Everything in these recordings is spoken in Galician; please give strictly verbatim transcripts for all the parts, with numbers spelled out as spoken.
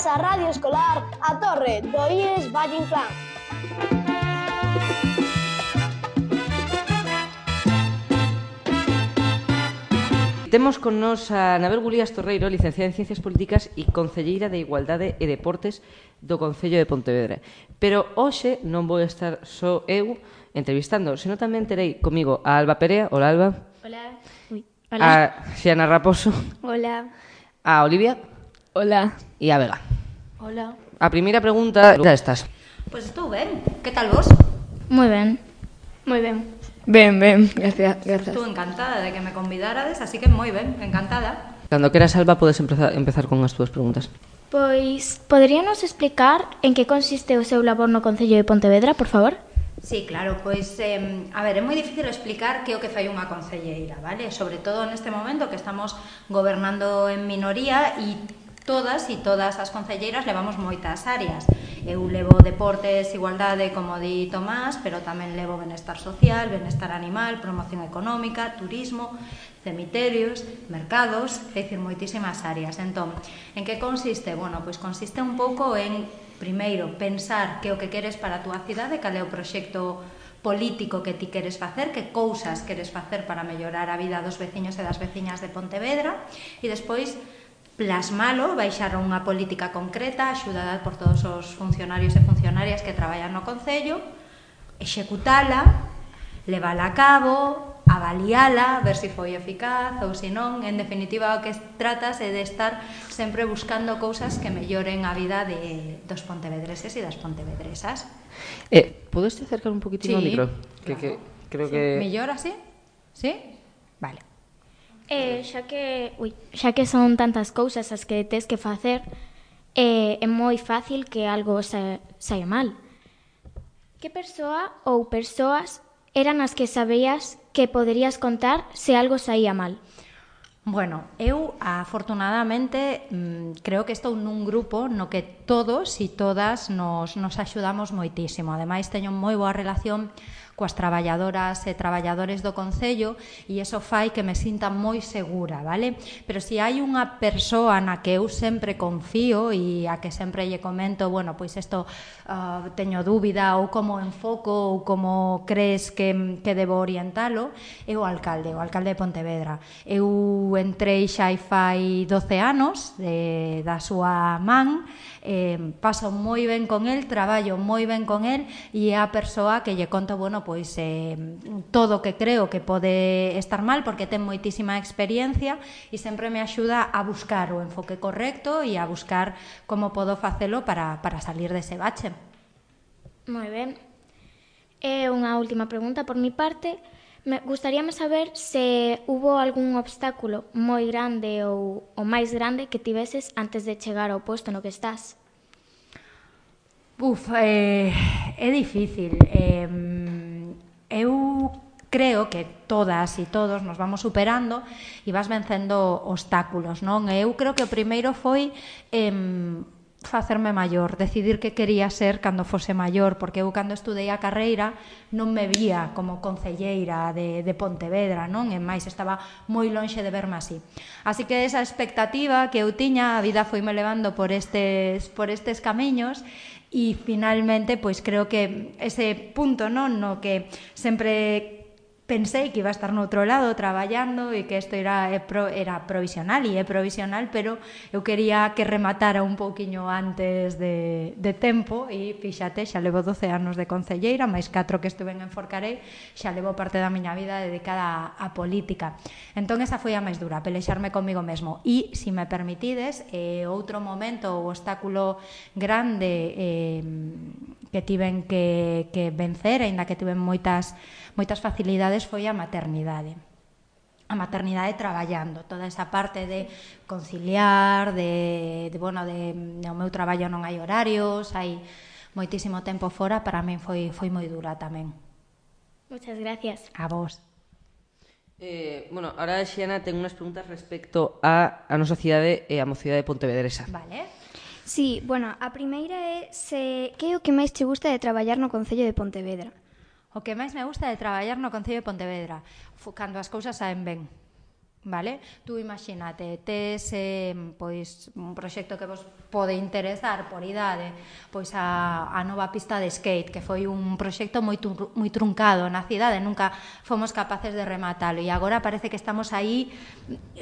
Benvidas á Radio Escolar A Torre do I E S Valle Inclán. Temos con nos a Anabel Gulías Torreiro, licenciada en Ciencias Políticas e concelleira de Igualdade e Deportes do Concello de Pontevedra. Pero hoxe non vou estar só eu entrevistando, senón tamén terei comigo a Alba Perea. Hola, Alba. Hola. Uy. Hola. A Xiana Raposo. Hola. A Olivia. Hola. E a Vega. Hola. A primeira pregunta, xa estás? Pois pues estou ben. Que tal vos? Moi ben. Moi ben. Ben, ben, gracias, gracias. Estou encantada de que me convidarades, así que moi ben, encantada. Cando queras, Alba, podes empezar, empezar con as túas preguntas. Pois, poderíanos explicar en que consiste o seu labor no Concello de Pontevedra, por favor? Sí, claro, pois, eh, a ver, é moi difícil explicar que é o que fai unha concelleira, vale? Sobre todo neste momento que estamos gobernando en minoría e todas e todas as concelleiras levamos moitas áreas. Eu levo deportes, igualdade, como di Tomás, pero tamén levo benestar social, benestar animal, promoción económica, turismo, cemiterios, mercados, é dicir, moitísimas áreas. Entón, en que consiste? Bueno, pois consiste un pouco en, primeiro, pensar que o que queres para a túa cidade, cal é o proxecto político que ti queres facer, que cousas queres facer para mellorar a vida dos veciños e das veciñas de Pontevedra, e despois plasmalo, baixar unha política concreta, axudada por todos os funcionarios e funcionarias que traballan no Concello, executala, levala a cabo, avaliala, ver se foi eficaz ou se non. En definitiva, o que tratas é de estar sempre buscando cousas que melloren a vida de, dos pontevedreses e das pontevedresas. Eh, podes te acercar un poquitino Sí, ao micro? Que, claro. que creo Sí. que... Mellor así? Sí? Vale. Eh, xa que, ui, xa que son tantas cousas as que tes que facer, eh, é moi fácil que algo sa, saia mal. Que persoa ou persoas eran as que sabías que poderías contar se algo saía mal? Bueno, eu afortunadamente mmm, creo que estou nun grupo no que todos e todas nos, nos axudamos moitísimo. Ademais, teño moi boa relación coas traballadoras e traballadores do Concello e iso fai que me sinta moi segura, vale? Pero se hai unha persoa na que eu sempre confío e a que sempre lle comento, bueno, pois isto uh, teño dúbida ou como enfoco ou como crees que, que debo orientalo, é o alcalde, o alcalde de Pontevedra. Eu entrei xa hai fai doce anos de, da súa man, eh, paso moi ben con el, traballo moi ben con el e é a persoa que lle conto, bueno, pois eh, todo o que creo que pode estar mal porque ten moitísima experiencia e sempre me axuda a buscar o enfoque correcto e a buscar como podo facelo para, para salir dese bache. Moi ben. E unha última pregunta por mi parte. Me gustaríame saber se hubo algún obstáculo moi grande ou o máis grande que tiveses antes de chegar ao posto no que estás. Uf, eh, é difícil. Eh, eu creo que todas e todos nos vamos superando e vas vencendo obstáculos, non? Eu creo que o primeiro foi eh, facerme maior, decidir que quería ser cando fose maior, porque eu cando estudei a carreira non me vía como concelleira de, de Pontevedra, non? E máis estaba moi lonxe de verme así. Así que esa expectativa que eu tiña, a vida foime levando por estes, por estes camiños e finalmente, pois creo que ese punto, non, no que sempre pensei que iba a estar no outro lado traballando e que isto era, era provisional e é provisional, pero eu quería que rematara un pouquiño antes de, de tempo e fíxate, xa levo doce anos de concelleira, máis catro que estuve en Forcarei, xa levo parte da miña vida dedicada a, a política. Entón esa foi a máis dura, pelexarme comigo mesmo. E, se me permitides, eh, outro momento, o obstáculo grande eh, que tiven que, que vencer, aínda que tiven moitas moitas facilidades, foi a maternidade. A maternidade traballando, toda esa parte de conciliar, de, de bueno, de, de o meu traballo non hai horarios, hai moitísimo tempo fora, para min foi, foi moi dura tamén. Muchas gracias. A vos. Eh, bueno, ahora Xiana ten unhas preguntas respecto a, a nosa cidade e a mocidade Pontevedresa. Vale. Sí, bueno, a primeira é se que é o que máis te gusta de traballar no Concello de Pontevedra? O que máis me gusta de traballar no Concello de Pontevedra, cando as cousas saen ben. vale? Tú imagínate, tes eh, pois un proxecto que vos pode interesar por idade, pois a, a nova pista de skate, que foi un proxecto moi, tru, moi truncado na cidade, nunca fomos capaces de rematalo e agora parece que estamos aí,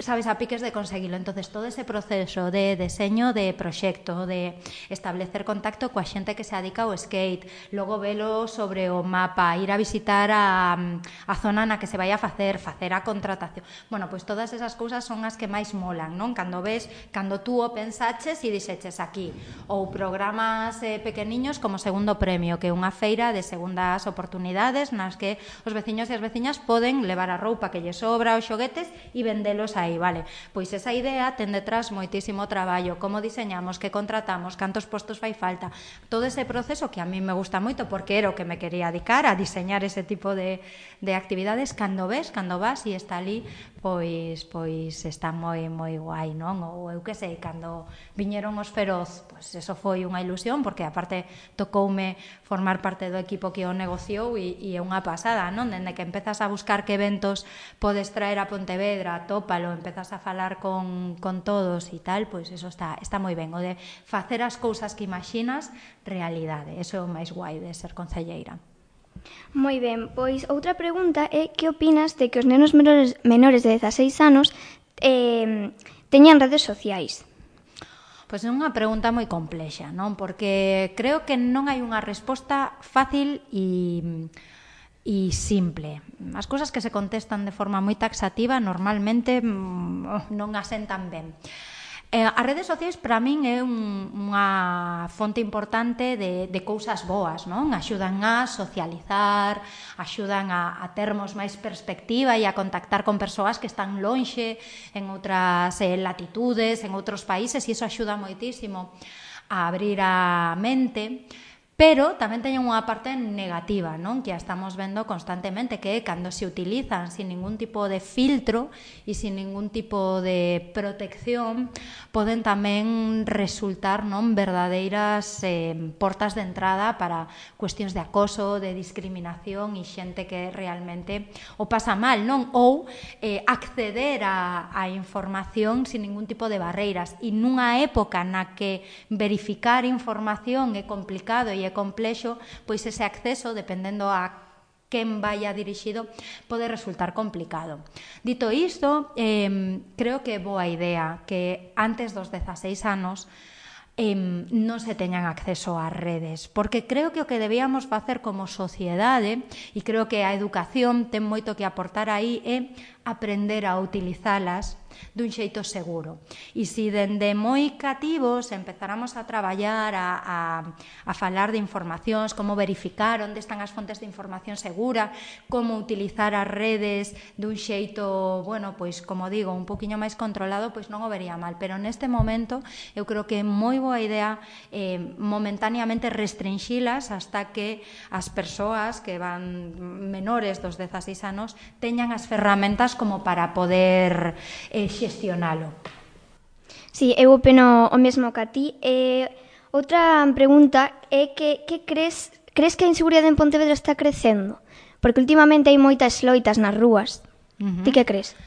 sabes, a piques de conseguilo. Entonces todo ese proceso de deseño de proxecto, de establecer contacto coa xente que se dedica ao skate, logo velo sobre o mapa, ir a visitar a, a zona na que se vai a facer, facer a contratación, bueno, pois todas esas cousas son as que máis molan, non? Cando ves, cando tú o pensaches e dixeches aquí, ou programas eh, pequeniños como Segundo Premio, que é unha feira de segundas oportunidades nas que os veciños e as veciñas poden levar a roupa que lle sobra, os xoguetes e vendelos aí, vale? Pois esa idea ten detrás moitísimo traballo, como diseñamos, que contratamos, cantos postos fai falta, todo ese proceso que a mí me gusta moito porque era o que me quería dedicar a diseñar ese tipo de, de actividades. Cando ves, cando vas e está ali, pois pois está moi moi guai, non? Ou eu que sei, cando viñeron os Feroz, pois eso foi unha ilusión porque aparte tocoume formar parte do equipo que o negociou e, e é unha pasada, non? Dende que empezas a buscar que eventos podes traer a Pontevedra, tópalo, empezas a falar con, con todos e tal, pois eso está, está moi ben, o de facer as cousas que imaginas realidade, eso é o máis guai de ser concelleira. Moi ben, pois outra pregunta é que opinas de que os nenos menores, menores de dezaseis anos eh, teñan redes sociais? Pois é unha pregunta moi complexa, non? Porque creo que non hai unha resposta fácil e, e simple. As cousas que se contestan de forma moi taxativa normalmente non asentan ben. Eh, as redes sociais para min é un, unha fonte importante de, de cousas boas, non? Axudan a socializar, axudan a, a termos máis perspectiva e a contactar con persoas que están lonxe en outras eh, latitudes, en outros países, e iso axuda moitísimo a abrir a mente. Pero tamén teñen unha parte negativa, non? Que a estamos vendo constantemente, que é cando se utilizan sin ningún tipo de filtro e sin ningún tipo de protección, poden tamén resultar, non, verdadeiras eh, portas de entrada para cuestións de acoso, de discriminación e xente que realmente o pasa mal, non? Ou eh, acceder a, a información sin ningún tipo de barreiras. E nunha época na que verificar información é complicado e é complexo, pois ese acceso, dependendo a quen vaya dirixido, pode resultar complicado. Dito isto, eh, creo que é boa idea que antes dos dezaseis anos eh, non se teñan acceso ás redes, porque creo que o que debíamos facer como sociedade, e creo que a educación ten moito que aportar aí, é aprender a utilizalas dun xeito seguro. E se dende moi cativos empezáramos a traballar, a, a, a falar de informacións, como verificar onde están as fontes de información segura, como utilizar as redes dun xeito, bueno, pois, como digo, un poquinho máis controlado, pois non o vería mal. Pero neste momento eu creo que é moi boa idea eh, momentaneamente restringilas hasta que as persoas que van menores dos dezaseis anos teñan as ferramentas como para poder eh, xestionalo. Sí, eu opino o mesmo que a ti. Eh, outra pregunta é que, que crees, crees que a inseguridade en Pontevedra está crecendo? Porque últimamente hai moitas loitas nas rúas. Uh-huh. Ti que crees?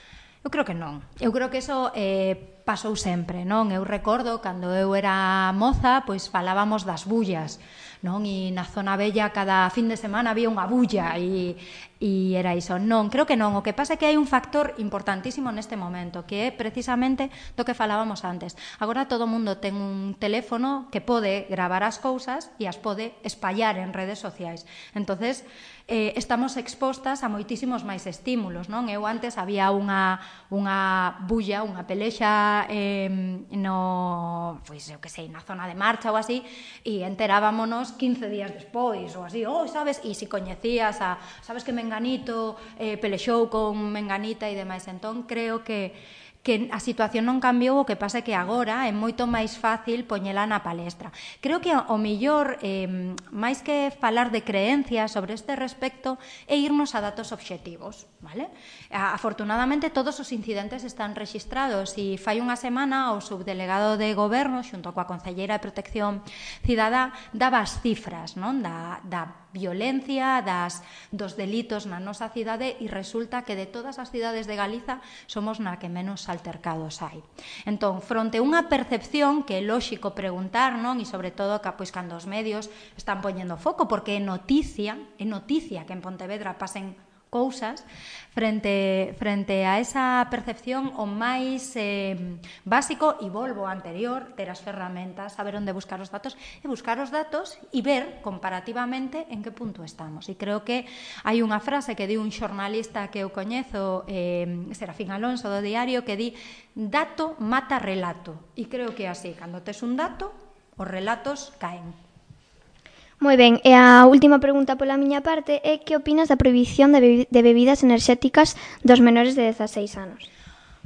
Eu creo que non. Eu creo que eso eh, pasou sempre, non? Eu recordo, cando eu era moza, pois falábamos das bullas, non? E na zona bella cada fin de semana había unha bulla e, e era iso. Non, creo que non. O que pasa é que hai un factor importantísimo neste momento, que é precisamente do que falábamos antes. Agora todo o mundo ten un teléfono que pode gravar as cousas e as pode espallar en redes sociais. Entonces, eh, estamos expostas a moitísimos máis estímulos, non? Eu antes había unha, unha bulla, unha pelexa eh, no, pois eu que sei, na zona de marcha ou así, e enterábamonos quince días despois ou así, oh, sabes, e se coñecías a, sabes que Menganito eh, pelexou con Menganita e demais. Entón creo que que a situación non cambiou, o que pasa é que agora é moito máis fácil poñela na palestra. Creo que o mellor, eh, máis que falar de creencias sobre este respecto, é irnos a datos obxectivos, vale? Afortunadamente, todos os incidentes están rexistrados e fai unha semana o subdelegado de Goberno, xunto coa Concelleira de Protección Cidadá, daba as cifras, non? Da, da violencia, das, dos delitos na nosa cidade, e resulta que de todas as cidades de Galiza somos na que menos altercados hai. Entón, fronte a unha percepción que é lóxico preguntar, non? E sobre todo que, pois, cando os medios están poñendo foco, porque é noticia, é noticia que en Pontevedra pasen cousas, frente, frente a esa percepción o máis eh, básico, e volvo ao anterior, ter as ferramentas, saber onde buscar os datos, e buscar os datos e ver comparativamente en que punto estamos. E creo que hai unha frase que di un xornalista que eu coñezo, eh, Serafín Alonso, do Diario, que di: dato mata relato. E creo que é así, cando tes un dato, os relatos caen. Moi ben, e a última pregunta pola miña parte é que opinas da prohibición de, bebi de bebidas enerxéticas dos menores de dezaseis anos?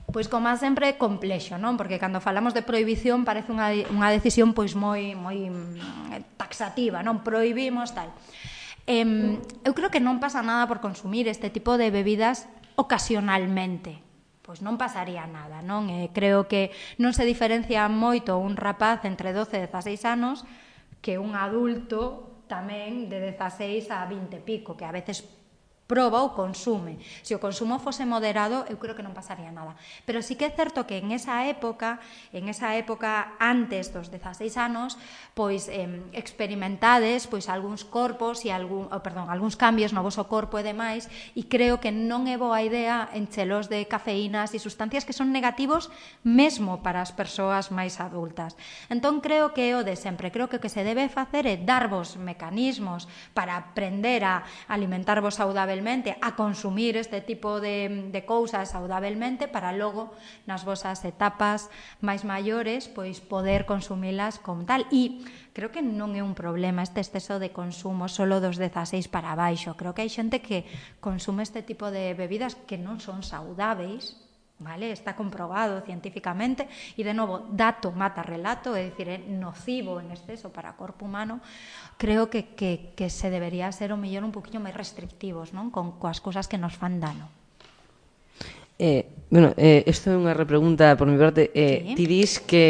Pois, como sempre, é complexo, non? Porque cando falamos de prohibición parece unha, unha decisión pois moi, moi taxativa, non? Prohibimos tal. Eh, eu creo que non pasa nada por consumir este tipo de bebidas ocasionalmente. Pois non pasaría nada, non? Eh, creo que non se diferencia moito un rapaz entre doce e dezaseis anos que un adulto tamén de dezaseis a vinte e pico, que a veces proba ou consume. Se o consumo fose moderado, eu creo que non pasaría nada. Pero sí que é certo que en esa época, en esa época antes dos dezaseis anos, pois eh, experimentades pois algúns corpos e algún, oh, perdón, algúns cambios no voso corpo e demais, e creo que non é boa idea enchelos de cafeínas e sustancias que son negativos mesmo para as persoas máis adultas. Entón creo que é o de sempre, creo que o que se debe facer é darvos mecanismos para aprender a alimentarvos saudablemente, a consumir este tipo de, de cousas saudablemente, para logo nas vosas etapas máis maiores pois poder consumilas como tal. E creo que non é un problema este exceso de consumo solo dos dezaseis para baixo. Creo que hai xente que consume este tipo de bebidas que non son saudáveis, vale? Está comprobado científicamente, e de novo, dato mata relato, é dicir, é nocivo en exceso para o corpo humano. Creo que, que, que se debería ser o mellor un poquinho máis restrictivos, non? Con coas cousas que nos fan dano. Eh, bueno, eh, isto é unha repregunta por mi parte. Eh, Sí. Ti dis que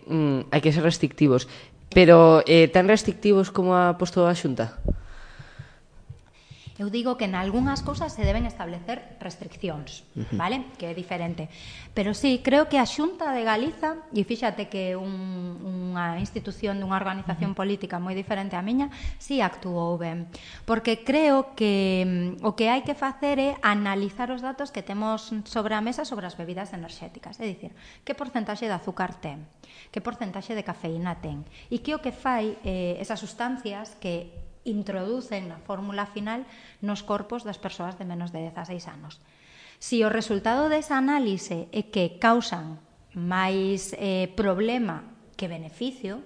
mm, hai que ser restrictivos, pero eh, tan restrictivos como ha posto a Xunta? Eu digo que en algunhas cousas se deben establecer restriccións, vale? Que é diferente. Pero sí, creo que a Xunta de Galiza, e fíxate que un, unha institución dunha organización política moi diferente á miña, sí actuou ben. Porque creo que mm, o que hai que facer é analizar os datos que temos sobre a mesa sobre as bebidas enerxéticas. É dicir, que porcentaxe de azúcar ten, que porcentaxe de cafeína ten, e que o que fai eh, esas sustancias que introducen na fórmula final nos corpos das persoas de menos de dezaseis anos. Si o resultado desa análise é que causan máis eh, problema que beneficio,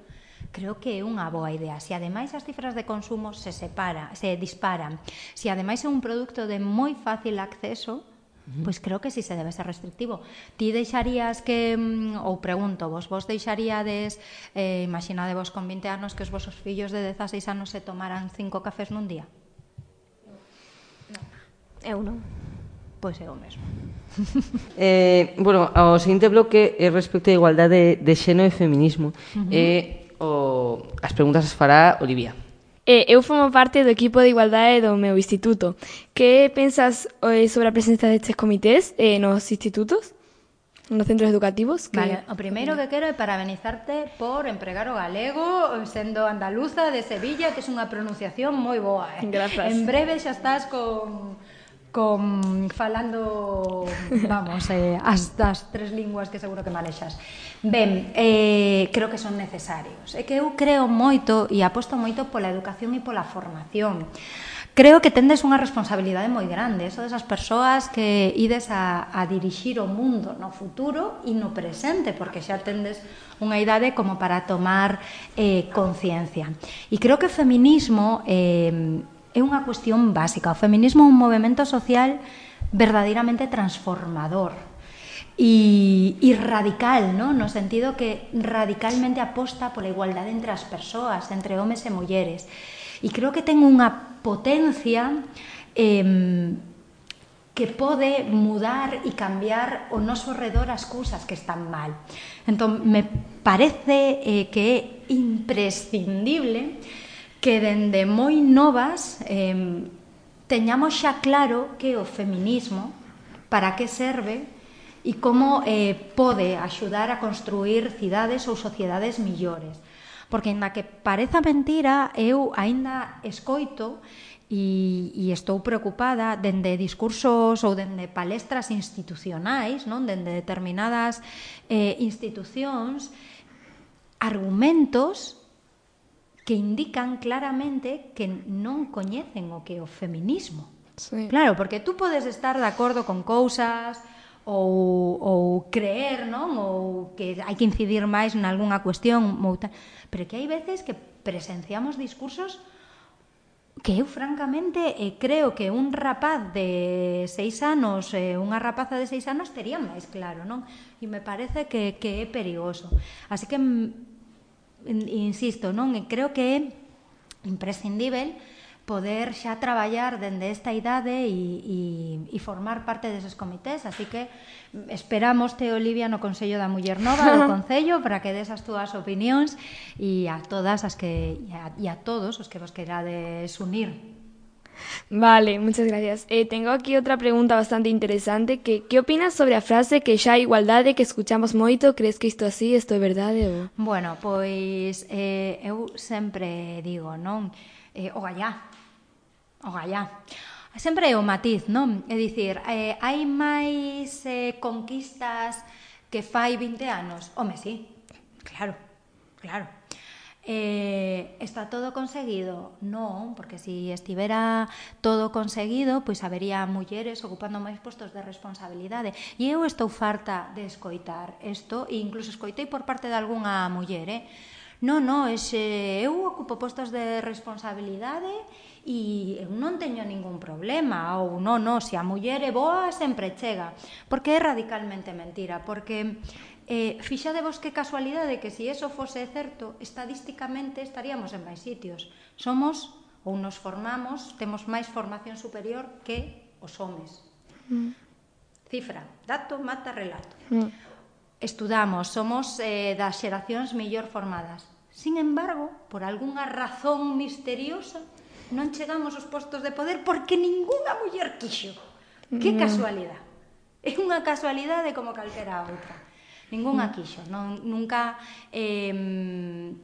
creo que é unha boa idea. Se ademais as cifras de consumo se separa, se disparan, se ademais é un produto de moi fácil acceso, pois creo que si se debe ser restrictivo. Ti deixarías que, ou pregunto vos, vos deixaríades, eh, imaginadevos con vinte anos que os vosos fillos de dezaseis anos se tomaran cinco cafés nun día? Eu non. Pois é o mesmo. Eh, bueno, o seguinte bloque é respecto á igualdade de xénero e feminismo. Uh -huh. eh, o, as preguntas as fará Olivia. Eh, eu formo parte do equipo de igualdade do meu instituto. Que pensas eh, sobre a presenza destes comités eh, nos institutos, nos centros educativos? Que... Vale, o primeiro que quero é parabenizarte por empregar o galego sendo andaluza de Sevilla, que é unha pronunciación moi boa. Eh? Grazas. En breve xa estás con... con falando, vamos, eh, as das tres linguas que seguro que manexas. Ben, eh, creo que son necesarios. É que eu creo moito e aposto moito pola educación e pola formación. Creo que tendes unha responsabilidade moi grande, eso desas persoas que ides a, a dirixir o mundo no futuro e no presente, porque xa tendes unha idade como para tomar eh, conciencia. E creo que o feminismo eh, é unha cuestión básica. O feminismo é un movemento social verdadeiramente transformador e, e radical, ¿no? No sentido que radicalmente aposta pola igualdade entre as persoas, entre homes e mulleres. E creo que ten unha potencia eh, que pode mudar e cambiar o noso redor as cousas que están mal. Entón, me parece eh, que é imprescindible que dende moi novas eh, teñamos xa claro que o feminismo, para que serve e como eh, pode axudar a construir cidades ou sociedades millores. Porque, ainda que pareza mentira, eu aínda escoito e, e estou preocupada dende discursos ou dende palestras institucionais, non? Dende determinadas eh, institucións, argumentos que indican claramente que non coñecen o que é o feminismo. Sí. Claro, porque tú podes estar de acordo con cousas ou, ou creer, non? Ou que hai que incidir máis en algunha cuestión, pero que hai veces que presenciamos discursos que eu francamente eh, creo que un rapaz de seis anos, eh, unha rapaza de seis anos tería máis claro, non? E me parece que, que é perigoso. Así que, insisto, non? E creo que é imprescindível poder xa traballar dende esta idade e, e, e formar parte deses comités, así que esperamos te, Olivia, no Consello da Muller Nova do Concello para que des as túas opinións e a todas as que e a, e a todos os que vos querades unir. Vale, muchas gracias. Eh, tengo aquí otra pregunta bastante interesante. Que, ¿Qué opinas sobre a frase que xa hai igualdade que escuchamos moito? Crees que isto así, isto é verdade? Ou... Bueno, pois eh, eu sempre digo, non? Eh, o gallá, o gallá. Sempre é o matiz, non? É dicir, eh, hai máis eh, conquistas que fai vinte anos? Home, sí, claro, claro. Eh, está todo conseguido? Non, porque se si estivera todo conseguido, pois habería mulleres ocupando máis postos de responsabilidade. E eu estou farta de escoitar isto, e incluso escoitei por parte de algunha muller, eh? Non, non, ese, eu ocupo postos de responsabilidade e eu non teño ningún problema, ou non, non, se a muller é boa sempre chega, porque é radicalmente mentira, porque eh, fixadevos que casualidade que se eso fose certo, estadísticamente estaríamos en máis sitios. Somos, ou nos formamos, temos máis formación superior que os homes. Mm. Cifra, dato, mata, relato. Mm. Estudamos, somos eh, das xeracións mellor formadas. Sin embargo, por algunha razón misteriosa, non chegamos aos postos de poder porque ningunha muller quixo. Que casualidade. É unha casualidade como calquera outra. Ningunha quixo. Non, nunca eh,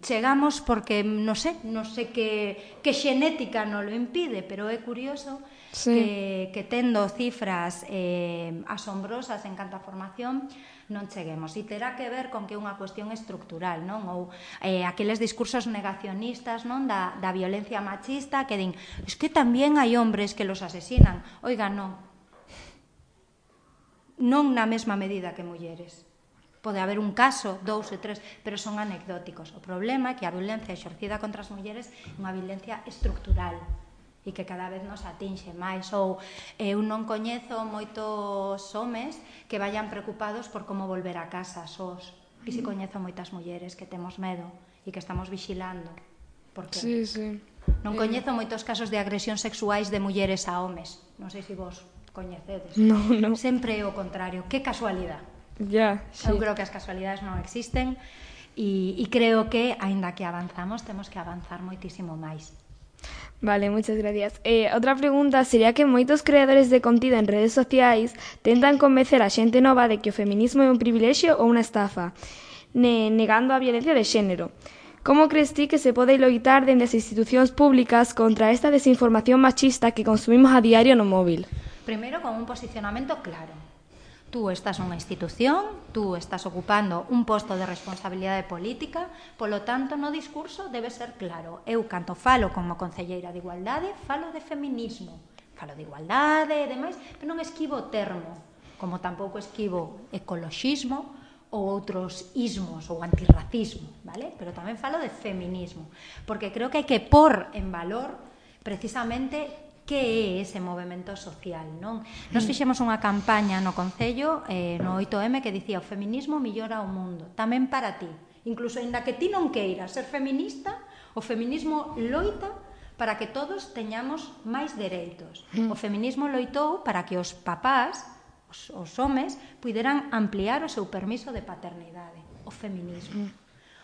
chegamos porque, non sei, non sei que, que xenética non lo impide, pero é curioso sí. que, que tendo cifras eh, asombrosas en canto a formación, non cheguemos. E terá que ver con que é unha cuestión estructural, non? Ou eh, aqueles discursos negacionistas, non? Da, da violencia machista que din, es que tamén hai hombres que los asesinan. Oiga, non. Non na mesma medida que mulleres. Pode haber un caso, dous e tres, pero son anecdóticos. O problema é que a violencia exercida contra as mulleres é unha violencia estructural e que cada vez nos atinxe máis. Ou eu non coñezo moitos homes que vayan preocupados por como volver a casa sós. E si coñezo moitas mulleres que temos medo e que estamos vigilando. Por que? Sí, sí. Non coñezo moitos casos de agresión sexuais de mulleres a homes. Non sei se vos coñecedes. No, no. Sempre é o contrario. Que casualidade. Ya, sí. Eu creo que as casualidades non existen e, e creo que, aínda que avanzamos, temos que avanzar moitísimo máis. Vale, muchas gracias. Eh, outra pregunta sería que moitos creadores de contido en redes sociais tentan convencer a xente nova de que o feminismo é un privilexio ou unha estafa, ne negando a violencia de xénero. Como crees ti que se pode loitar dende as institucións públicas contra esta desinformación machista que consumimos a diario no móvil? Primeiro, con un posicionamento claro. Tú estás nunha institución, tú estás ocupando un posto de responsabilidade política, polo tanto, no discurso debe ser claro. Eu, canto falo como concelleira de igualdade, falo de feminismo. Falo de igualdade e demais, pero non esquivo o termo, como tampouco esquivo ecoloxismo ou outros ismos ou antirracismo, vale? Pero tamén falo de feminismo, porque creo que hai que pôr en valor precisamente que é ese movemento social, non? Nos fixemos unha campaña no Concello, eh, no oito eme, que dicía o feminismo millora o mundo, tamén para ti. Incluso, ainda que ti non queiras ser feminista, o feminismo loita para que todos teñamos máis dereitos. O feminismo loitou para que os papás, os, os homes, puderan ampliar o seu permiso de paternidade. O feminismo.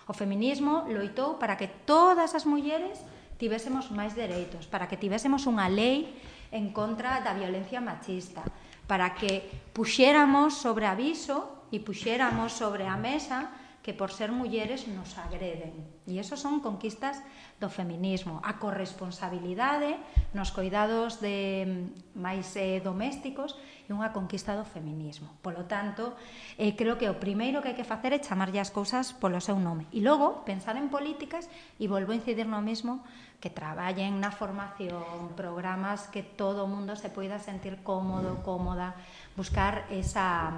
O feminismo loitou para que todas as mulleres tivésemos máis dereitos, para que tivésemos unha lei en contra da violencia machista, para que puxéramos sobre aviso e puxéramos sobre a mesa que por ser mulleres nos agreden. E iso son conquistas do feminismo. A corresponsabilidade nos cuidados de máis eh, domésticos é unha conquista do feminismo. Polo tanto, eh, creo que o primeiro que hai que facer é chamarlle as cousas polo seu nome. E logo, pensar en políticas, e volvo a incidir no mesmo, que traballen na formación, programas que todo o mundo se poida sentir cómodo, cómoda, buscar esa,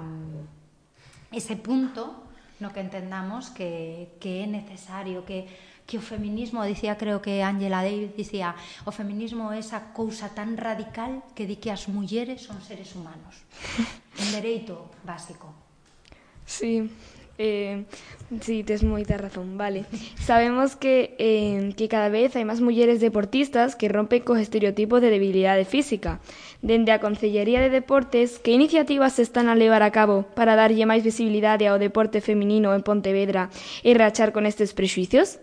ese punto no que entendamos que, que é necesario, que, que o feminismo, dicía, creo que Angela Davis dicía, o feminismo é esa cousa tan radical que di que as mulleres son seres humanos. Un dereito básico. Sí, eh, sí, tes moita razón, vale. Sabemos que, eh, que cada vez hai máis mulleres deportistas que rompen cos estereotipos de debilidade física. Dende a Concellería de Deportes, que iniciativas se están a levar a cabo para darlle máis visibilidade ao deporte feminino en Pontevedra e rachar con estes prexuicios?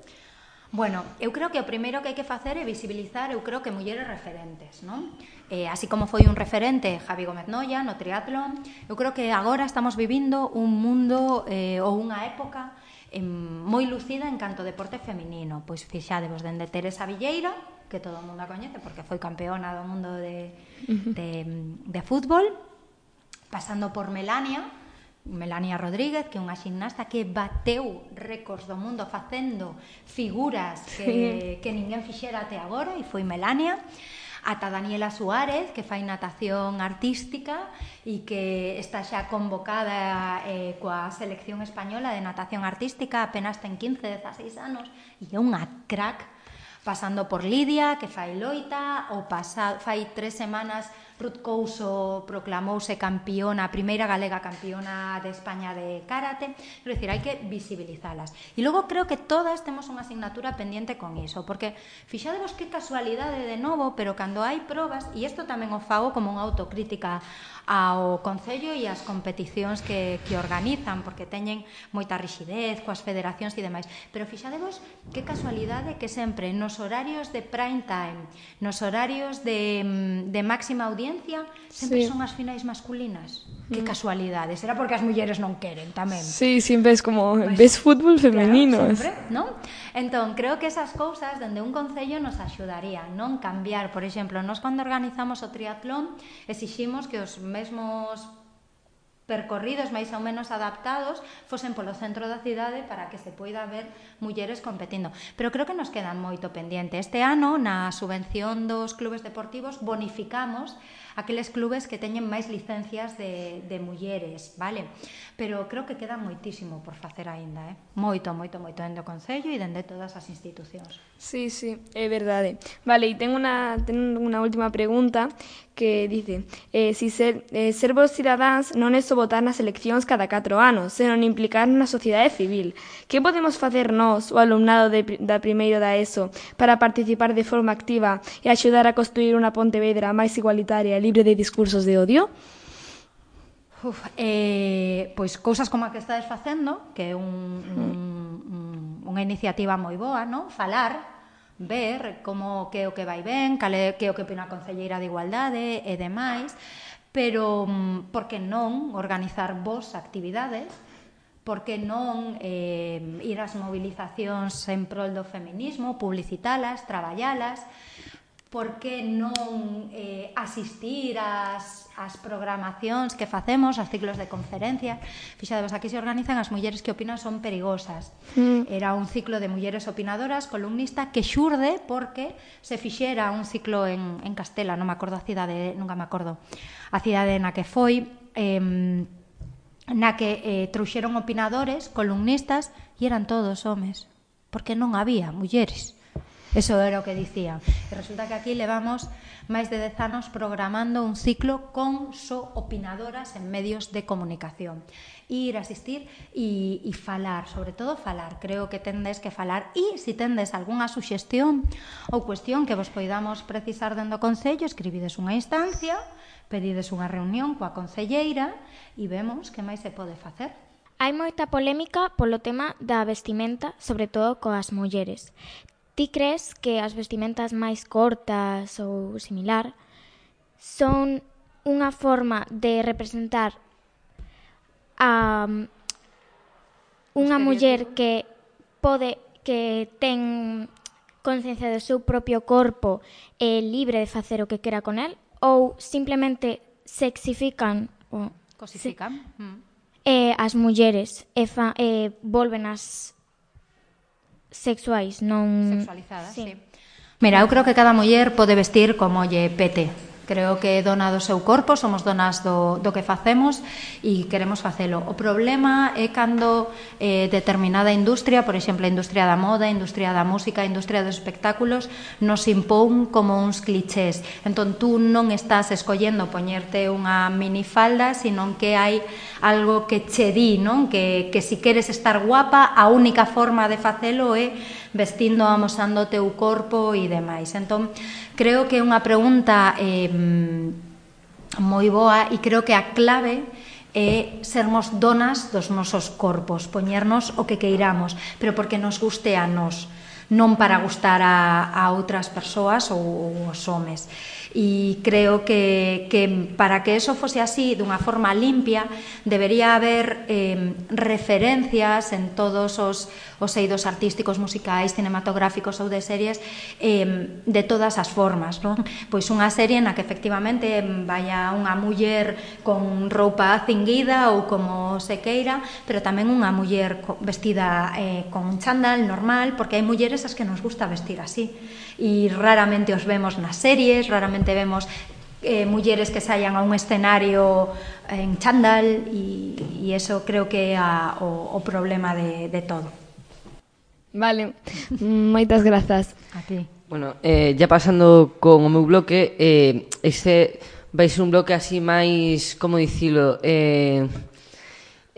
Bueno, eu creo que o primeiro que hai que facer é visibilizar, eu creo que mulleres referentes, non? Eh, así como foi un referente Javi Gómez Noia no triatlón, eu creo que agora estamos vivindo un mundo eh, ou unha época eh, moi lucida en canto deporte feminino. Pois fixadevos, dende Teresa Villeira, que todo o mundo a coñece porque foi campeona do mundo de, de, de fútbol, pasando por Melania, Melania Rodríguez, que é unha ximnasta que bateu récords do mundo facendo figuras que, que ninguén fixera até agora, e foi Melania, ata Daniela Suárez, que fai natación artística e que está xa convocada eh, coa selección española de natación artística, apenas ten quince, dezaseis anos, e é unha crack, pasando por Lidia, que fai loita, ou pasa, fai tres semanas Ruth Couso proclamouse campeona, a primeira galega campeona de España de karate. Quero dicir, hai que visibilizalas. E logo creo que todas temos unha asignatura pendiente con iso, porque fixadevos que casualidade de novo, pero cando hai probas, e isto tamén o fago como unha autocrítica ao Concello e as competicións que, que organizan, porque teñen moita rixidez coas federacións e demais, pero fixadevos que casualidade que sempre nos horarios de prime time, nos horarios de, de máxima audiencia, sempre sí. son as finais masculinas. Mm. Que casualidade, será porque as mulleres non queren tamén. Sí, sempre es como, pues, ves fútbol femenino. Claro, sempre, non? Entón, creo que esas cousas dende un Concello nos axudarían, non? Cambiar, por exemplo, nós cando organizamos o triatlón exiximos que os mesmos percorridos máis ou menos adaptados fosen polo centro da cidade para que se poida ver mulleres competindo. Pero creo que nos quedan moito pendiente. Este ano, na subvención dos clubes deportivos, bonificamos aqueles clubes que teñen máis licencias de, de mulleres, vale? Pero creo que queda moitísimo por facer aínda, eh? Moito, moito, moito dende o Concello e dende todas as institucións. Sí, sí, é verdade. Vale, e tengo unha, tengo unha última pregunta que dice, eh, si ser, eh, ser vos cidadáns non é só votar nas eleccións cada catro anos, senón implicar na sociedade civil. Que podemos facer nós, o alumnado de, da primeiro da ESO, para participar de forma activa e axudar a construir unha Pontevedra máis igualitaria e libre de discursos de odio? Uf, eh, pois cousas como a que estades facendo, que é un, un, un, unha iniciativa moi boa, non? Falar, ver como que é o que vai ben, cale, que é o que opina a Concelleira de Igualdade e demais, pero por que non organizar vos actividades, por que non eh, ir ás movilizacións en prol do feminismo, publicitalas, traballalas, por que non eh, asistir ás, ás programacións que facemos, aos ciclos de conferencia. Fixadevos, aquí se organizan as mulleres que opinan son perigosas. Mm. Era un ciclo de mulleres opinadoras, columnista, que xurde porque se fixera un ciclo en, en Castela, non me acordo a cidade, nunca me acordo, a cidade na que foi, eh, na que eh, trouxeron opinadores, columnistas, e eran todos homes, porque non había mulleres. Eso era o que dicía. E resulta que aquí levamos máis de dez anos programando un ciclo con só opinadoras en medios de comunicación. Ir, asistir e, e falar, sobre todo falar. Creo que tendes que falar. E se tendes algunha suxestión ou cuestión que vos poidamos precisar dentro do Concello, escribides unha instancia, pedides unha reunión coa concelleira e vemos que máis se pode facer. Hai moita polémica polo tema da vestimenta, sobre todo coas mulleres. ti crees que as vestimentas máis cortas ou similar son unha forma de representar a unha muller que pode, que ten conciencia do seu propio corpo e libre de facer o que quera con el, ou simplemente sexifican o, Cosifican. se, Mm. eh, as mulleres e, fa, e volven as sexuais, non... Sexualizadas, Sí. sí. Mira, eu creo que cada muller pode vestir como lle pete. Creo que é dona do seu corpo, somos donas do, do que facemos e queremos facelo. O problema é cando eh, determinada industria, por exemplo, a industria da moda, a industria da música, a industria dos espectáculos, nos impón como uns clichés. Entón, tú non estás escollendo poñerte unha minifalda, sino que hai algo que che di, non? Que, que si queres estar guapa, a única forma de facelo é vestindo, amosando o teu corpo e demais. Entón, creo que é unha pregunta eh, moi boa e creo que a clave é sermos donas dos nosos corpos, poñernos o que queiramos, pero porque nos guste a nós, non para gustar a, a outras persoas ou, ou os homes. E creo que, que para que eso fose así, dunha forma limpia, debería haber eh, referencias en todos os, os eidos artísticos, musicais, cinematográficos ou de series eh, de todas as formas, non? Pois unha serie na que efectivamente vaya unha muller con roupa cinguida ou como se queira, pero tamén unha muller vestida eh, con un chándal normal, porque hai mulleres as que nos gusta vestir así e raramente os vemos nas series, raramente vemos eh, mulleres que saian a un escenario en chándal e, e eso creo que é a, o, o problema de, de todo. Vale, moitas grazas. A ti. Bueno, eh, ya pasando con o meu bloque, eh, este vai ser un bloque así máis, como dicilo, eh,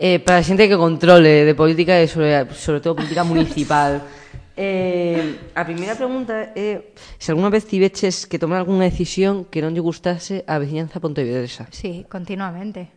eh, para a xente que controle de política e sobre, sobre todo política municipal. Eh, a primeira pregunta é se alguna vez tiveches que tomar algunha decisión que non lle gustase a veciñanza pontevedresa. Sí, continuamente.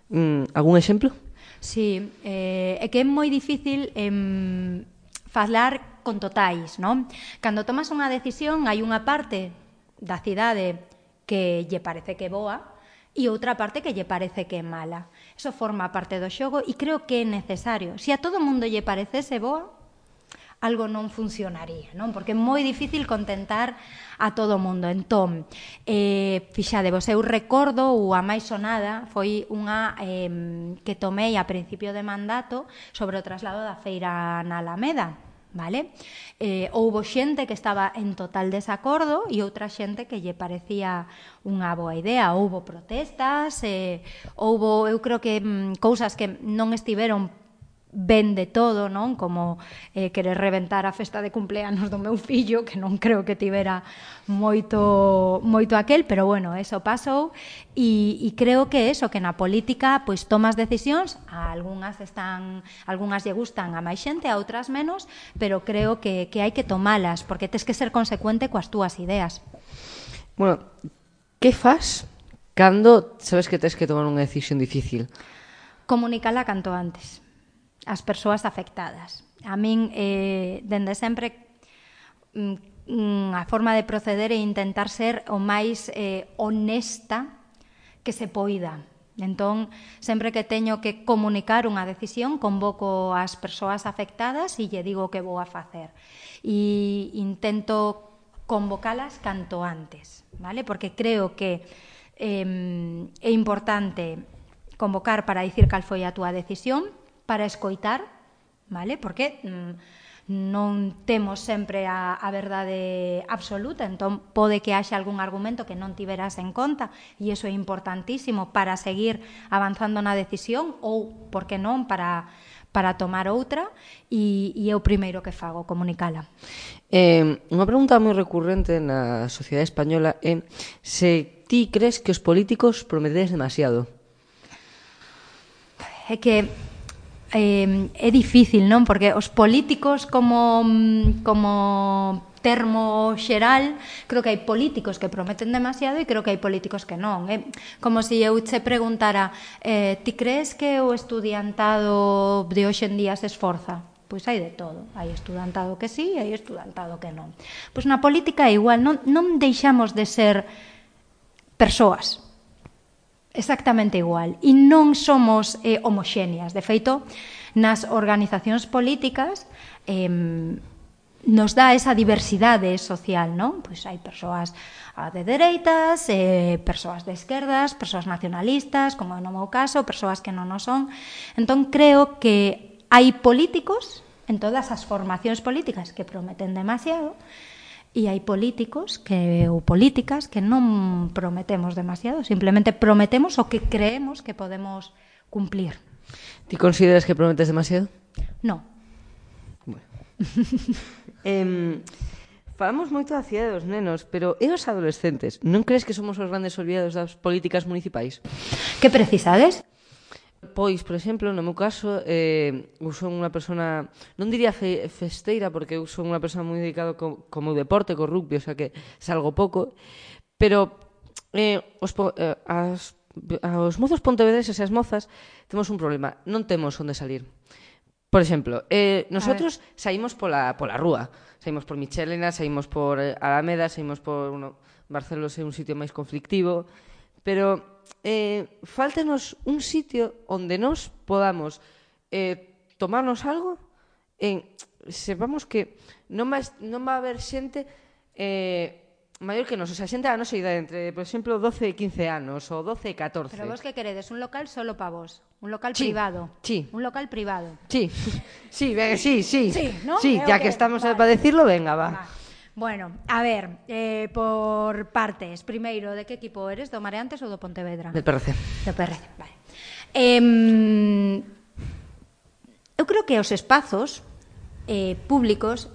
Mm, algún exemplo? Sí, eh, é que é moi difícil eh, falar con totais, non? Cando tomas unha decisión hai unha parte da cidade que lle parece que é boa e outra parte que lle parece que é mala. Eso forma parte do xogo e creo que é necesario. Se a todo mundo lle parecese boa, algo non funcionaría, non? Porque é moi difícil contentar a todo mundo. Entón, eh, fixadevos, eu recordo, ou a máis sonada, foi unha eh, que tomei a principio de mandato sobre o traslado da feira na Alameda, vale? Eh, houbo xente que estaba en total desacordo e outra xente que lle parecía unha boa idea. Houbo protestas, eh, houbo, eu creo que mm, cousas que non estiveron ben de todo, non? Como eh, querer reventar a festa de cumpleanos do meu fillo, que non creo que tivera moito moito aquel, pero bueno, eso pasou e, e creo que eso, que na política pois tomas decisións, a algunhas están, algunhas lle gustan a máis xente, a outras menos, pero creo que, que hai que tomalas, porque tes que ser consecuente coas túas ideas. Bueno, que fas cando sabes que tes que tomar unha decisión difícil? Comunicala canto antes as persoas afectadas. A min, eh, dende sempre, mm, a forma de proceder é intentar ser o máis eh, honesta que se poida. Entón, sempre que teño que comunicar unha decisión, convoco as persoas afectadas e lle digo o que vou a facer. E intento convocalas canto antes, vale? Porque creo que eh, é importante convocar para dicir cal foi a túa decisión, para escoitar, vale? Porque mm, non temos sempre a, a verdade absoluta, entón pode que haxa algún argumento que non tiveras en conta e iso é importantísimo para seguir avanzando na decisión ou, por que non, para, para tomar outra e, e é o primeiro que fago, comunicala. Eh, unha pregunta moi recurrente na sociedade española é se ti crees que os políticos prometedes demasiado. É que eh, é difícil, non? Porque os políticos como, como termo xeral, creo que hai políticos que prometen demasiado e creo que hai políticos que non. É como se eu che preguntara, eh, ti crees que o estudiantado de hoxe en día se esforza? pois hai de todo. Hai estudantado que sí, hai estudantado que non. Pois na política é igual, non, non deixamos de ser persoas. Exactamente igual. E non somos eh, homoxéneas. De feito, nas organizacións políticas eh, nos dá esa diversidade social, non? Pois hai persoas de dereitas, eh, persoas de esquerdas, persoas nacionalistas, como no meu caso, persoas que non o son. Entón, creo que hai políticos en todas as formacións políticas que prometen demasiado e hai políticos que, ou políticas que non prometemos demasiado, simplemente prometemos o que creemos que podemos cumplir. Ti consideras que prometes demasiado? Non. Bueno. eh, falamos moito da cidade dos nenos, pero e os adolescentes? Non crees que somos os grandes olvidados das políticas municipais? Que precisades? Pois, por exemplo, no meu caso, eh, eu son unha persona, non diría fe, festeira, porque eu son unha persona moi dedicada co, co meu deporte, co rugby, o sea que salgo pouco, pero eh, os, eh, as, os mozos pontevedreses e as mozas temos un problema, non temos onde salir. Por exemplo, eh, nosotros saímos pola, pola rúa, saímos por Michelena, saímos por Alameda, saímos por uno, Barcelos é un sitio máis conflictivo, pero eh, faltanos un sitio onde nos podamos eh, tomarnos algo e sepamos que non va, non va a haber xente eh, maior que nos, o sea, xente da nosa idade, entre, por exemplo, doce e quince anos, ou doce e catorce. Pero vos que queredes? Un local solo pa vos? Un local Sí, privado? sí. Un local privado? Sí, sí, venga, sí, sí. Sí, ¿no? Sí, Eh, ya okay, que estamos vale. para decirlo, venga, va. Va. Bueno, a ver, eh, por partes. Primeiro, de que equipo eres? Do Mareantes ou do Pontevedra? Del P R C. Do P R C, vale. Eh, eu creo que os espazos eh, públicos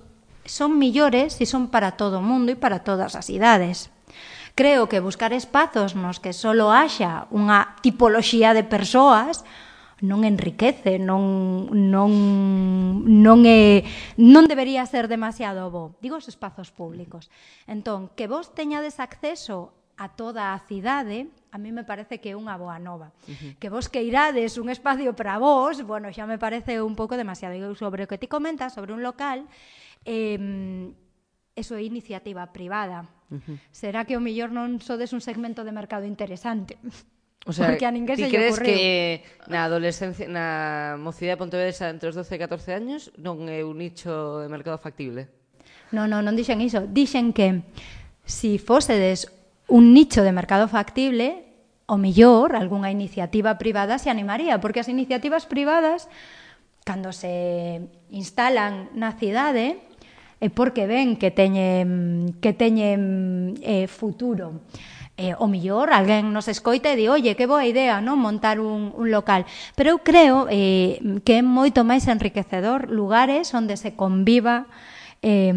son millores e son para todo o mundo e para todas as idades. Creo que buscar espazos nos que solo haxa unha tipoloxía de persoas non enriquece, non, non, non, é, non debería ser demasiado bo. Digo os espazos públicos. Entón, que vos teñades acceso a toda a cidade, a mí me parece que é unha boa nova. Uh-huh. Que vos queirades un espacio para vos, bueno, xa me parece un pouco demasiado. E sobre o que ti comentas, sobre un local, eh, eso é iniciativa privada. Uh-huh. Será que o millor non sodes un segmento de mercado interesante? O sea, porque a ninguén ti se lle crees ocurriu. que na adolescencia, na mocidade de Pontevedra entre os doce e catorce años non é un nicho de mercado factible? Non, non, non dixen iso. Dixen que si fósedes un nicho de mercado factible, o millor, algunha iniciativa privada se animaría, porque as iniciativas privadas, cando se instalan na cidade, é porque ven que teñen, que teñen eh, futuro. Eh, o millor, alguén nos escoita e di, oye, que boa idea, non, montar un, un local. Pero eu creo eh, que é moito máis enriquecedor lugares onde se conviva eh,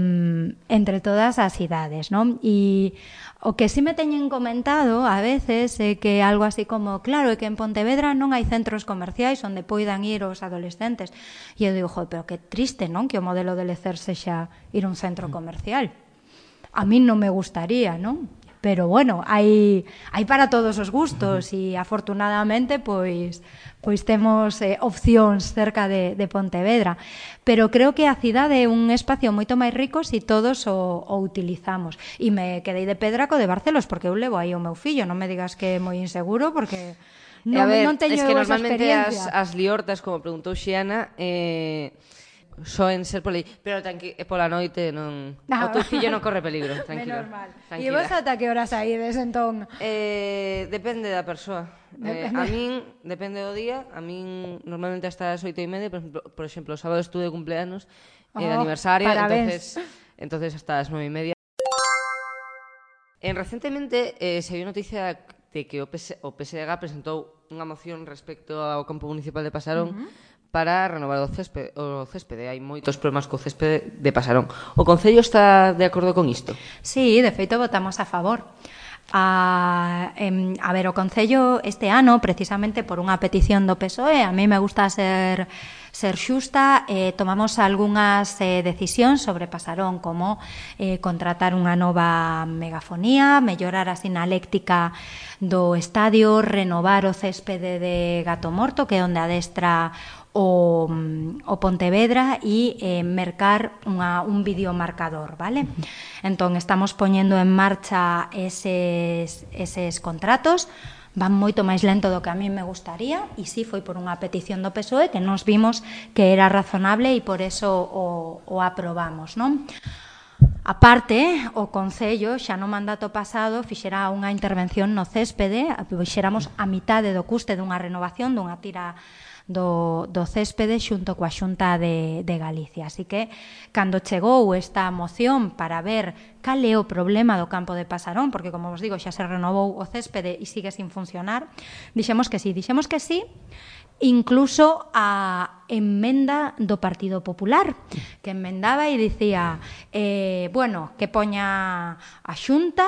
entre todas as idades, non? E o que sí me teñen comentado a veces é que algo así como, claro, é que en Pontevedra non hai centros comerciais onde poidan ir os adolescentes. E eu digo, jo, pero que triste, non? Que o modelo de lecer sexa ir a un centro comercial. A mí non me gustaría, non? Pero bueno, hai, hai para todos os gustos e afortunadamente pois, pois temos eh, opcións cerca de, de Pontevedra. Pero creo que a cidade é un espacio moito máis rico se todos o, o utilizamos. E me quedei de pedra co de Barcelos, porque eu levo aí o meu fillo, non me digas que é moi inseguro, porque non, a ver, non teño es que esa normalmente experiencia. as, as liortas, como preguntou Xiana, eh, soen ser por aí, pero tranqui, pola noite non, Ah, o teu fillo non corre peligro, tranquilo. Menos mal. E Tranquila. vos ata que horas saídes, entón? Eh, depende da persoa. Eh, Depende. a min, depende do día, a min normalmente hasta as oito e media, por exemplo, por exemplo, o sábado estuve de cumpleanos, eh, de Oh, aniversario, parabéns. entonces, entonces hasta as nove e media. En recentemente eh, se viu noticia de que o, PS, o P S D G presentou unha moción respecto ao campo municipal de Pasarón uh-huh. para renovar o céspede, o céspede. Hai moitos problemas co céspede de Pasarón. O Concello está de acordo con isto? Sí, de feito votamos a favor. A, em, a ver, o Concello este ano, precisamente por unha petición do P S O E, a mí me gusta ser ser xusta, eh, tomamos algunhas eh, decisións sobre Pasarón, como eh, contratar unha nova megafonía, mellorar a sinaléctica do estadio, renovar o céspede de Gato Morto, que é onde adestra o, o Pontevedra, e eh, mercar unha, un videomarcador, vale? Entón, estamos poñendo en marcha eses, eses contratos, van moito máis lento do que a mí me gustaría, e si foi por unha petición do P S O E que nos vimos que era razonable e por eso o, o aprobamos, non? A parte, o Concello xa no mandato pasado fixera unha intervención no céspede, fixéramos a mitade do custe dunha renovación dunha tira do, do céspede xunto coa Xunta de, de Galicia. Así que, cando chegou esta moción para ver cal é o problema do campo de Pasarón, porque, como vos digo, xa se renovou o céspede e sigue sin funcionar, dixemos que sí, dixemos que sí, incluso a emenda do Partido Popular, que emendaba e dicía, eh, bueno, que poña a Xunta,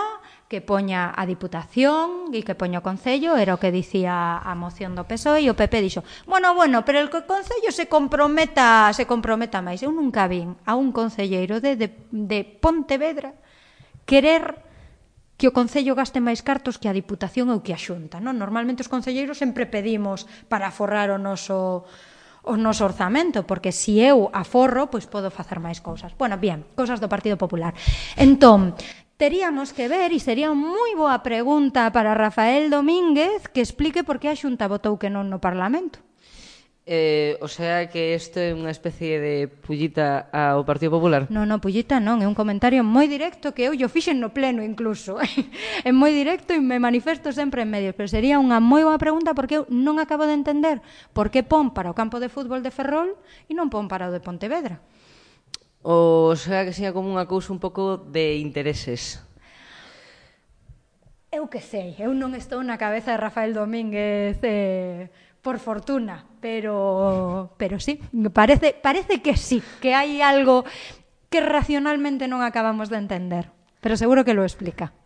que poña a Diputación e que poña o Concello, era o que dicía a moción do P S O E, e o P P dixo, bueno, bueno, pero el Concello se comprometa, se comprometa máis. Eu nunca vin a un concelleiro de, de, de Pontevedra querer que o Concello gaste máis cartos que a Diputación ou que a Xunta, non? Normalmente os concelleiros sempre pedimos para aforrar o noso o noso orzamento, porque se eu aforro, pois podo facer máis cousas. Bueno, bien, cousas do Partido Popular. Entón, teríamos que ver, e sería moi boa pregunta para Rafael Domínguez, que explique por que a Xunta votou que non no Parlamento. Eh, o sea que isto é unha especie de pullita ao Partido Popular? Non, non, pullita non, é un comentario moi directo que eu yo fixen no pleno incluso. É moi directo e me manifesto sempre en medios, pero sería unha moi boa pregunta porque eu non acabo de entender por que pon para o campo de fútbol de Ferrol e non pon para o de Pontevedra. O sea que sería como unha cousa un pouco de intereses. Eu que sei, eu non estou na cabeza de Rafael Domínguez eh, por fortuna, pero pero sí, parece parece que sí, que hai algo que racionalmente non acabamos de entender, pero seguro que lo explica.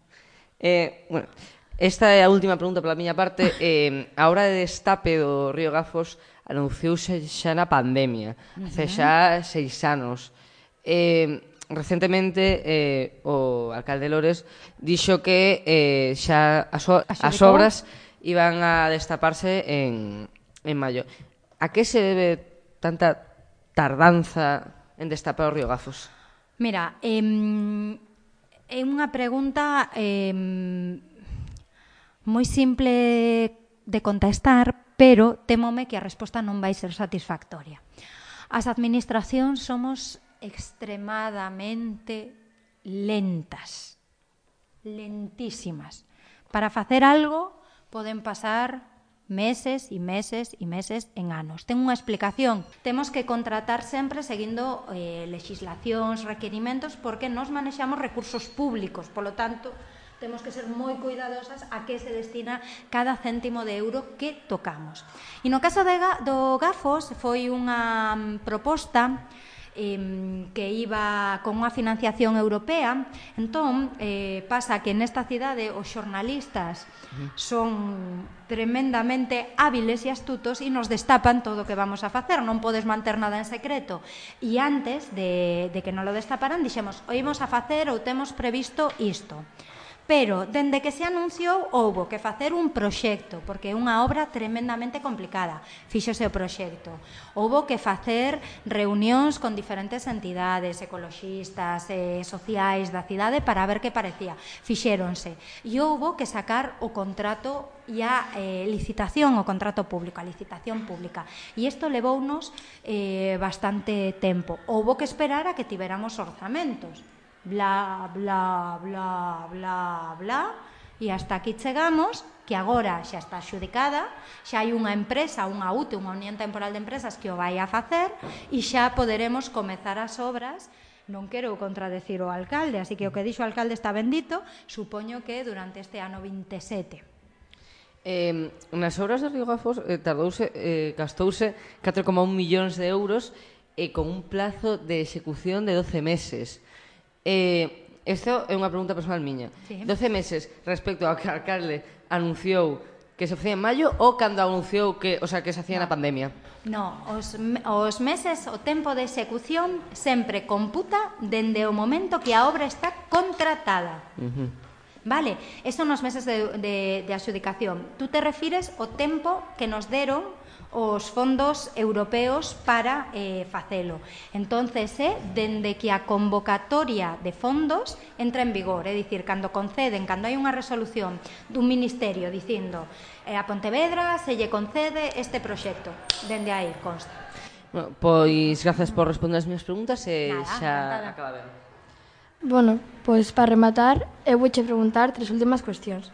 Eh, bueno, esta é a última pregunta pola miña parte. Eh, a hora de destape do río Gafos anunciouse xa na pandemia, uh-huh. hace xa seis anos. Eh, recentemente eh, o alcalde Lores dixo que eh, xa as, o, as obras iban a destaparse en, en maio. A que se debe tanta tardanza en destapar o río Gafos? Mira, eh, é unha pregunta eh, moi simple de contestar, pero témome que a resposta non vai ser satisfactoria. As administracións somos extremadamente lentas, lentísimas. Para facer algo poden pasar meses e meses e meses en anos. Ten unha explicación. Temos que contratar sempre seguindo eh, legislacións, requerimentos, porque nos manexamos recursos públicos. Polo tanto, temos que ser moi cuidadosas a que se destina cada céntimo de euro que tocamos. E no caso de, do Gafos foi unha proposta que iba con unha financiación europea. Entón, eh, pasa que nesta cidade os xornalistas son tremendamente hábiles e astutos e nos destapan todo o que vamos a facer, non podes manter nada en secreto. E antes de, de que non lo destaparan, dixemos, o imos a facer ou temos previsto isto. Pero, dende que se anunciou, houbo que facer un proxecto, porque é unha obra tremendamente complicada. Fíxose o proxecto. Houbo que facer reunións con diferentes entidades, ecoloxistas, eh, sociais da cidade, para ver que parecía. Fixéronse. E houbo que sacar o contrato e a eh, licitación, o contrato público, a licitación pública. E isto levounos eh, bastante tempo. Houbo que esperar a que tiveramos orzamentos. Bla, bla, bla, bla, bla, e hasta aquí chegamos, que agora xa está xudicada, xa hai unha empresa, unha U T E, unha Unión Temporal de Empresas, que o vai a facer, e xa poderemos comezar as obras. Non quero contradecir o alcalde, así que o que dixo o alcalde está bendito, supoño que durante este ano veintisiete. Eh, nas obras de Río Gafos eh, tardouse, eh, gastouse catro coma un millóns de euros e eh, con un plazo de execución de doce meses. Eh, Isto é unha pregunta personal miña. Sí. doce meses respecto ao que a alcalde anunciou que se facía en maio ou cando anunciou que, o sea, que se hacía na pandemia? No, os, os meses, o tempo de execución sempre computa dende o momento que a obra está contratada. Uh-huh. Vale, esos son os meses de, de, de adxudicación. Tú te refires ao tempo que nos deron os fondos europeos para eh, facelo. Entonces, é eh, dende que a convocatoria de fondos entra en vigor, é dicir, cando conceden, cando hai unha resolución dun ministerio dicindo eh, a Pontevedra se lle concede este proxecto, dende aí consta. Bueno, pois, grazas por responder as miñas preguntas e Nada, xa nada. acabamos. Bueno, pois para rematar, eu vouche preguntar tres últimas cuestións.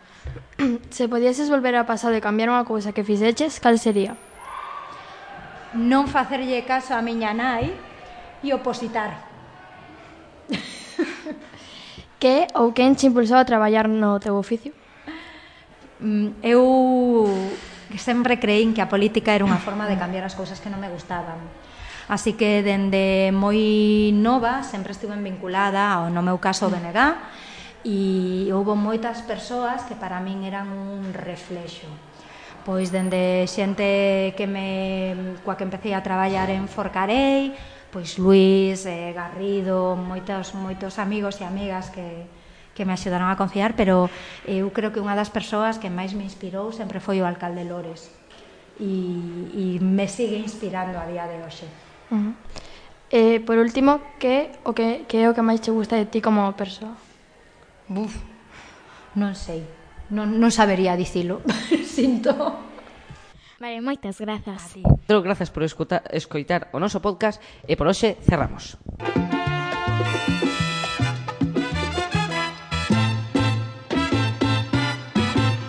Se podieses volver ao pasado e cambiar unha cousa que fixeches, cal sería? Non facerlle caso a miña nai e opositar. Que ou quen te impulsou a traballar no teu oficio? Mm, Eu sempre creín que a política era unha forma de cambiar as cousas que non me gustaban. Así que dende moi nova sempre estuve vinculada ao, no meu caso, B N G, e houve moitas persoas que para min eran un reflexo. Pois dende xente que me, coa que empecé a traballar en Forcarei, pois Luís, eh, Garrido, moitos, moitos amigos e amigas que, que me axudaron a confiar, pero eu creo que unha das persoas que máis me inspirou sempre foi o alcalde Lores, e, e me sigue inspirando a día de hoxe. Uh-huh. Eh, por último, que, o que, que é o que máis te gusta de ti como persoa? Buf, non sei, non, non sabería dicilo, sinto. Vale, moitas grazas. Grazas por escutar, escoitar o noso podcast e por hoxe cerramos.